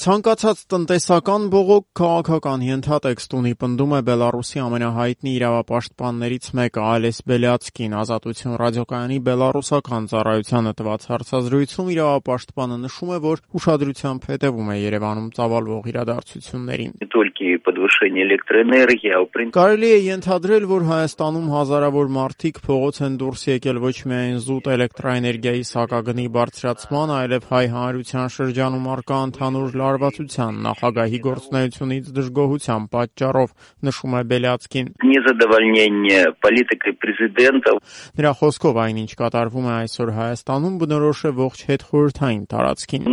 Ցանկացած տնտեսական բողոք քաղաքական ենթատեքստ ունի, պնդում է Բելառուսի ամենահայտնի իրավապաշտպաններից մեկը Ալես Բելյացկին։ Ազատություն ռադիոկայանի բելառուսական ծառայությանը տված հարցազրույցում իրավապաշտպանը նշում է, որ ուշադրությամբ հետևում է Երևանում ծավալվող իրադարձություններին։ Կարելի է ենթադրել, որ Հայաստանում հազարավոր մարդիկ փողոց են դուրս եկել ոչ միայն զուտ էլեկտրաէներգիայի սակագնի բարձրացման, այլև հայ հանրության շրջանում առկա ընդհանուր լարվածության, նախագահի գործունեությունից դժգոհության պատճառով, նշում է Բելյացկին։ Նրա խոսքով այնինչ կատարվում է այսօր Հայաստանում բնորոշ է ողջ հետխորհրդային տարածքին։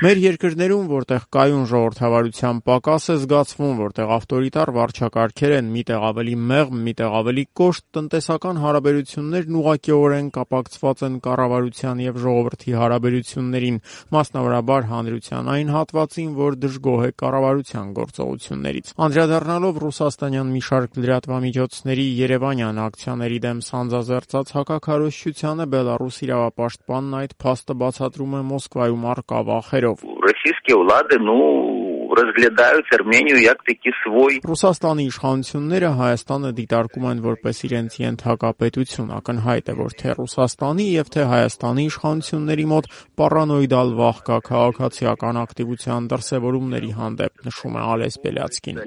Մեր երկրներում, որտեղ կայուն ժողովրդավարության պակաս է զգացվում, որտեղ ավտորիտար վարչակարգեր են, միտեղ ավելի մեղմ, միտեղ ավելի կոշտ, տնտեսական հարաբերություններն ուղղակիորեն կապակցված են կառավարության եւ ժողովրդի հարաբերություններին, մասնավորաբար հանրության այն հատվածին, որ դժգոհ է կառավարության գործողություններից։ Անդրադառնալով ռուսաստանյան մի շարք լրատվամիջոցների երևանյան ակցիաների դեմ սանձազերծած հակաքարոզչությանը, Բելառուս իրավապաշտպանն այդ փաստը բացատրում է Մոսկվայում առկա վախերով։ Ռուսաստանի իշխանությունները Հայաստանը դիտարկում են որպես իրենց ենթակա պետություն, ակնհայտ է, որ թե Ռուսաստանի եւ թե Հայաստանի իշխանությունների մոտ պարանոիդալ վախ կա քաղաքացիական ակտիվության դրսևորումների հանդեպ, նշում է Ալես Բելյացկին։